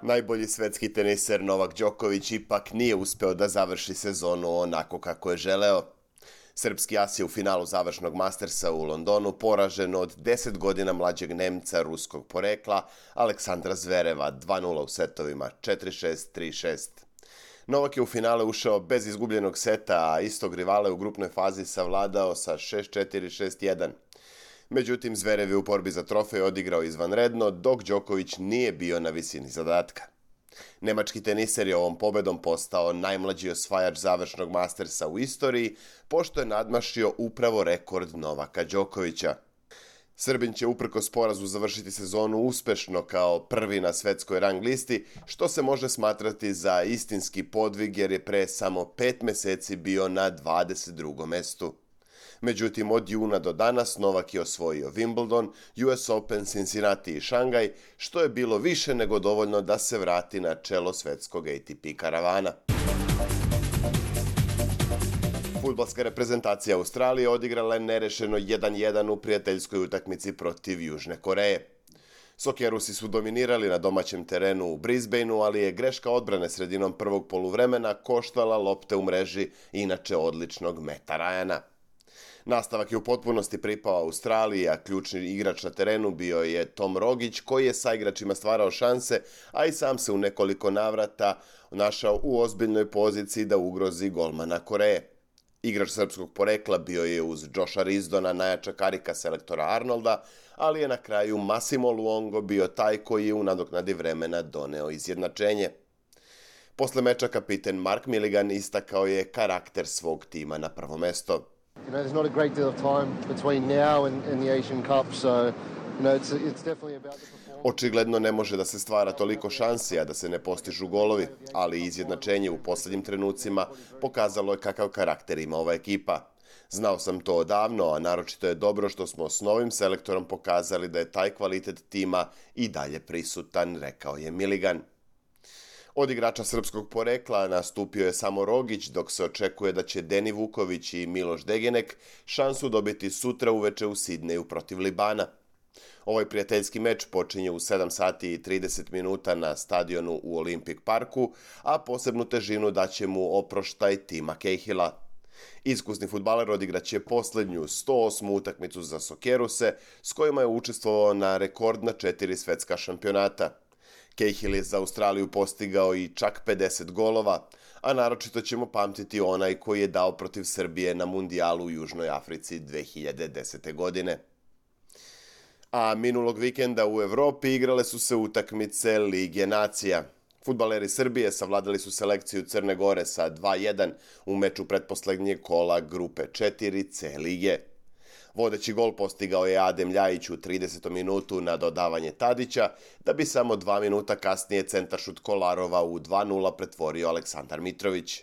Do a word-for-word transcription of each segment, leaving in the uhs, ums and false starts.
Najbolji svetski teniser Novak Đoković ipak nije uspeo da završi sezonu onako kako je želeo. Srpski as je u finalu završnog Mastersa u Londonu poražen od deset godina mlađeg Nemca ruskog porekla Aleksandra Zvereva dva nula u setovima četiri šest, tri šest. Novak je u finale ušao bez izgubljenog seta, a istog rivala u grupnoj fazi savladao sa šest četiri, šest jedan. Međutim, Zverev je u borbi za trofej odigrao izvanredno, dok Đoković nije bio na visini zadatka. Nemački teniser je ovom pobedom postao najmlađi osvajač završnog Mastersa u istoriji, pošto je nadmašio upravo rekord Novaka Đokovića. Srbin će uprkos porazu završiti sezonu uspešno kao prvi na svetskoj rang listi, što se može smatrati za istinski podvig jer je pre samo pet meseci bio na dvadeset drugom mestu. Međutim, od juna do danas Novak je osvojio Wimbledon, U S Open, Cincinnati i Šangaj, što je bilo više nego dovoljno da se vrati na čelo svetskog A T P karavana. Fudbalska reprezentacija Australije odigrala je nerešeno jedan jedan u prijateljskoj utakmici protiv Južne Koreje. Sokerusi su dominirali na domaćem terenu u Brisbaneu, ali je greška odbrane sredinom prvog poluvremena koštala lopte u mreži inače odličnog Meta Ryana. Nastavak je u potpunosti pripao Australiji, a ključni igrač na terenu bio je Tom Rogić, koji je sa igračima stvarao šanse, a i sam se u nekoliko navrata našao u ozbiljnoj poziciji da ugrozi golmana Koreje. Igrač srpskog porekla bio je uz Josha Rizdona najjača karika selektora Arnolda, ali je na kraju Massimo Luongo bio taj koji je u nadoknadi vremena doneo izjednačenje. Posle meča kapiten Mark Milligan istakao je karakter svog tima na prvo mesto. You know, there's not a great deal of time between now and, and the Asian Cup, so you know, it's, it's definitely about the performance. Očigledno ne može da se stvara toliko šansi, a da se ne postižu golovi, ali izjednačenje u poslednjim trenucima pokazalo je kakav karakter ima ova ekipa. Znao sam to odavno, a naročito je dobro što smo s novim selektorom pokazali da je taj kvalitet tima i dalje prisutan, rekao je Milligan. Od igrača srpskog porekla nastupio je samo Rogić, dok se očekuje da će Deni Vuković i Miloš Degenek šansu dobiti sutra uveče u Sidneju protiv Libana. Ovaj prijateljski meč počinje u sedam sati i trideset minuta na stadionu u Olympic Parku, a posebnu težinu daće mu oproštaj tima Cahilla. Iskusni fudbaler odigraće poslednju sto osmu utakmicu za Sokeruse, s kojima je učestvovao na rekordna četiri svetska šampionata. Cahill je za Australiju postigao i čak pedeset golova, a naročito ćemo pamtiti onaj koji je dao protiv Srbije na mundijalu u Južnoj Africi dve hiljade desete. godine. A minulog vikenda u Evropi igrale su se utakmice Lige nacija. Fudbaleri Srbije savladali su selekciju Crne Gore sa dva jedan u meču pretposlednjeg kola grupe četiri C lige. Vodeći gol postigao je Adem Ljajić u tridesetom minutu na dodavanje Tadića, da bi samo dva minuta kasnije centaršut Kolarova u dva nula pretvorio Aleksandar Mitrović.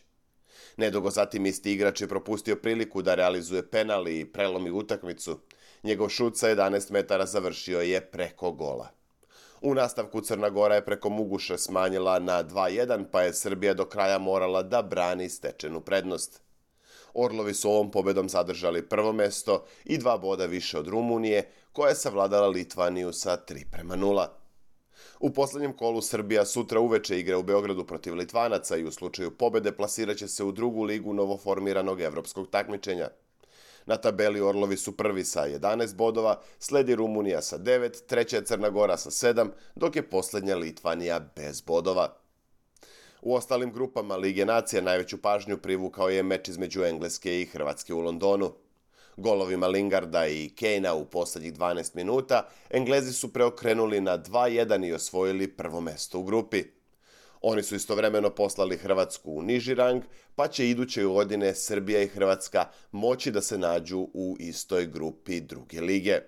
Nedugo zatim isti igrač je propustio priliku da realizuje penal i prelomi utakmicu. Njegov šut sa jedanaest metara završio je preko gola. U nastavku Crna Gora je preko Muguša smanjila na dva jedan, pa je Srbija do kraja morala da brani stečenu prednost. Orlovi su ovom pobedom zadržali prvo mesto i dva boda više od Rumunije, koja je savladala Litvaniju sa tri prema nula. U poslednjem kolu Srbija sutra uveče igra u Beogradu protiv Litvanaca i u slučaju pobede plasiraće se u drugu ligu novoformiranog evropskog takmičenja. Na tabeli Orlovi su prvi sa jedanaest bodova, sledi Rumunija sa devet, treća je Crna Gora sa sedam, dok je poslednja Litvanija bez bodova. U ostalim grupama Lige nacija najveću pažnju privukao je meč između Engleske i Hrvatske u Londonu. Golovima Lingarda i Kanea u poslednjih dvanaest minuta Englezi su preokrenuli na dva jedan i osvojili prvo mesto u grupi. Oni su istovremeno poslali Hrvatsku u niži rang, pa će iduće godine Srbija i Hrvatska moći da se nađu u istoj grupi druge lige.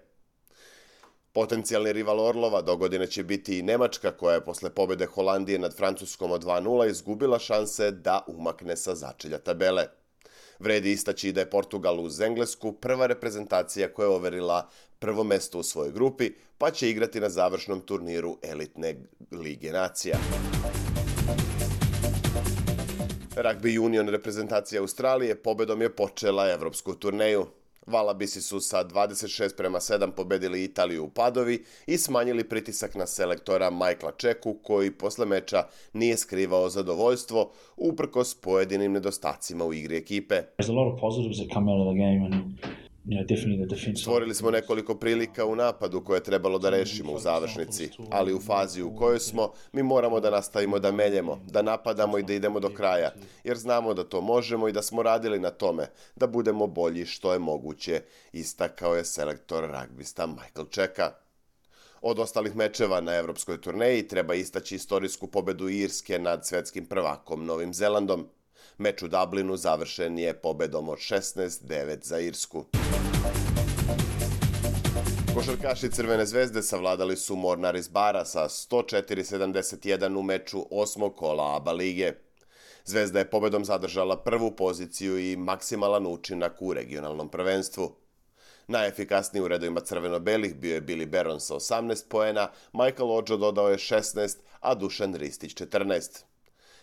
Potencijalni rival Orlova dogodine će biti i Nemačka, koja je posle pobede Holandije nad Francuskom od dva nula izgubila šanse da umakne sa začelja tabele. Vredi istaći da je Portugal uz Englesku prva reprezentacija koja je overila prvo mesto u svojoj grupi, pa će igrati na završnom turniru elitne Lige nacija. Rugby Union reprezentacija Australije pobedom je počela evropsku turneju. Valabisi su sa dvadeset šest prema sedam pobedili Italiju u Padovi i smanjili pritisak na selektora Michaela Čeku, koji posle meča nije skrivao zadovoljstvo uprkos pojedinim nedostacima u igri ekipe. Stvorili smo nekoliko prilika u napadu koje je trebalo da rešimo u završnici, ali u fazi u kojoj smo mi moramo da nastavimo da meljemo, da napadamo i da idemo do kraja, jer znamo da to možemo i da smo radili na tome, da budemo bolji što je moguće, istakao je selektor ragbista Michael Čeka. Od ostalih mečeva na evropskoj turneji treba istaći istorijsku pobedu Irske nad svetskim prvakom Novim Zelandom. Meč u Dublinu završen je pobedom od šesnaest devet za Irsku. Košarkaši Crvene zvezde savladali su Mornar iz Bara sa sto četiri sedamdeset jedan u meču osmog kola ABA lige. Zvezda je pobedom zadržala prvu poziciju i maksimalan učinak u regionalnom prvenstvu. Najefikasniji u redovima crveno-belih bio je Billy Baron sa osamnaest poena, Michael Odžo dodao je šesnaest, a Dušan Ristić četrnaest.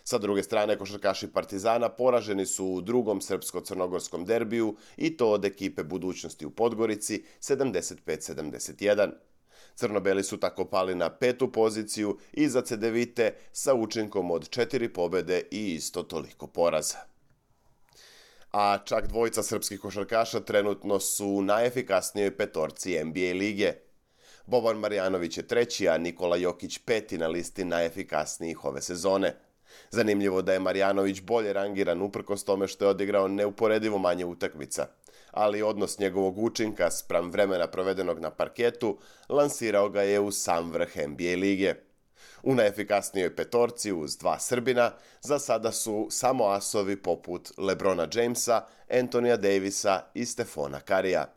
Sa druge strane, košarkaši Partizana poraženi su u drugom srpsko-crnogorskom derbiju i to od ekipe Budućnosti u Podgorici sedamdeset pet sedamdeset jedan. Crno-beli su tako pali na petu poziciju iza Cedevite sa učinkom od četiri pobede i isto toliko poraza. A čak dvojica srpskih košarkaša trenutno su u najefikasnijoj petorci N B A lige. Boban Marjanović je treći, a Nikola Jokić peti na listi najefikasnijih ove sezone. Zanimljivo da je Marjanović bolje rangiran uprkos tome što je odigrao neuporedivo manje utakmica, ali odnos njegovog učinka spram vremena provedenog na parketu lansirao ga je u sam vrh N B A lige. U najefikasnijoj petorci uz dva Srbina za sada su samo asovi poput LeBrona Jamesa, Anthonija Davisa i Stefona Karija.